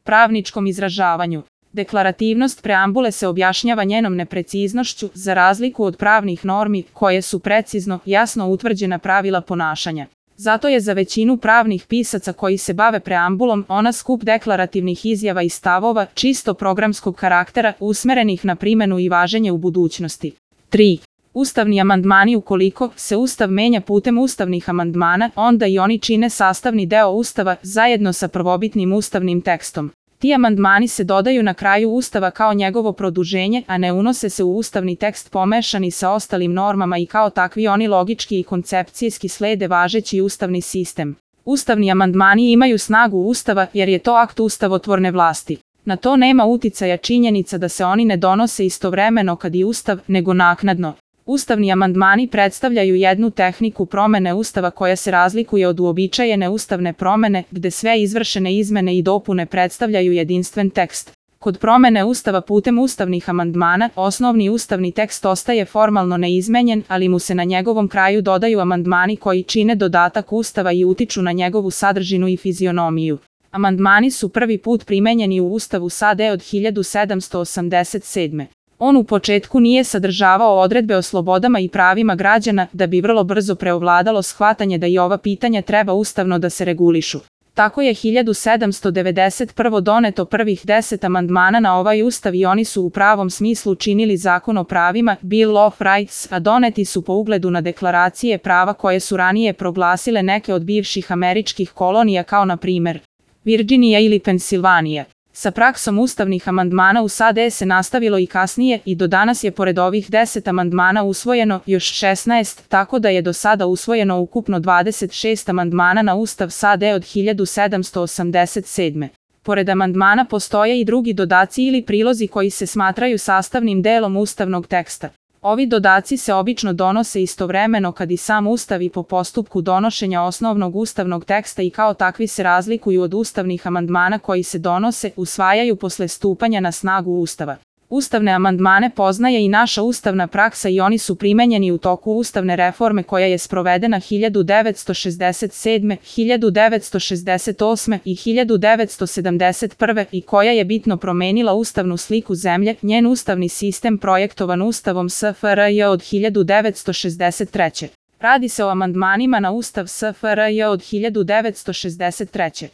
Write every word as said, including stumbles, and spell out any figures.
Pravničkom izražavanju. Deklarativnost preambule se objašnjava njenom nepreciznošću, za razliku od pravnih normi, koje su precizno, jasno utvrđena pravila ponašanja. Zato je za većinu pravnih pisaca koji se bave preambulom ona skup deklarativnih izjava i stavova čisto programskog karaktera usmerenih na primenu i važenje u budućnosti. tri. Ustavni amandmani. Ukoliko se Ustav menja putem ustavnih amandmana, onda i oni čine sastavni deo Ustava zajedno sa prvobitnim ustavnim tekstom. Ti amandmani se dodaju na kraju Ustava kao njegovo produženje, a ne unose se u ustavni tekst pomešani sa ostalim normama i kao takvi oni logički i koncepcijski slede važeći ustavni sistem. Ustavni amandmani imaju snagu Ustava jer je to akt ustavotvorne vlasti. Na to nema uticaja činjenica da se oni ne donose istovremeno kad i Ustav, nego naknadno. Ustavni amandmani predstavljaju jednu tehniku promene Ustava koja se razlikuje od uobičajene ustavne promene, gde sve izvršene izmene i dopune predstavljaju jedinstven tekst. Kod promene Ustava putem ustavnih amandmana, osnovni ustavni tekst ostaje formalno neizmenjen, ali mu se na njegovom kraju dodaju amandmani koji čine dodatak Ustava i utiču na njegovu sadržinu i fizionomiju. Amandmani su prvi put primenjeni u Ustavu S A D od hiljadu sedamsto osamdeset sedme. On u početku nije sadržavao odredbe o slobodama i pravima građana, da bi vrlo brzo preovladalo shvatanje da i ova pitanja treba ustavno da se regulišu. Tako je hiljadu sedamsto devedeset prve. doneto prvih deset amandmana na ovaj ustav i oni su u pravom smislu činili zakon o pravima, Bill of Rights, a doneti su po ugledu na deklaracije prava koje su ranije proglasile neke od bivših američkih kolonija kao na primer Virginija ili Pensilvanija. Sa praksom ustavnih amandmana u S A D se nastavilo i kasnije i do danas je pored ovih deset amandmana usvojeno još šesnaest, tako da je do sada usvojeno ukupno dvadeset šest amandmana na Ustav S A D od hiljadu sedamsto osamdeset sedme. Pored amandmana postoje i drugi dodaci ili prilozi koji se smatraju sastavnim delom ustavnog teksta. Ovi dodaci se obično donose istovremeno kad i sam Ustav i po postupku donošenja osnovnog ustavnog teksta i kao takvi se razlikuju od ustavnih amandmana koji se donose, usvajaju posle stupanja na snagu Ustava. Ustavne amandmane poznaje i naša ustavna praksa i oni su primenjeni u toku ustavne reforme koja je sprovedena hiljadu devetsto šezdeset sedme, hiljadu devetsto šezdeset osme i hiljadu devetsto sedamdeset prve i koja je bitno promenila ustavnu sliku zemlje, njen ustavni sistem projektovan Ustavom S F R J od hiljadu devetsto šezdeset treće. Radi se o amandmanima na Ustav S F R J od hiljadu devetsto šezdeset treće.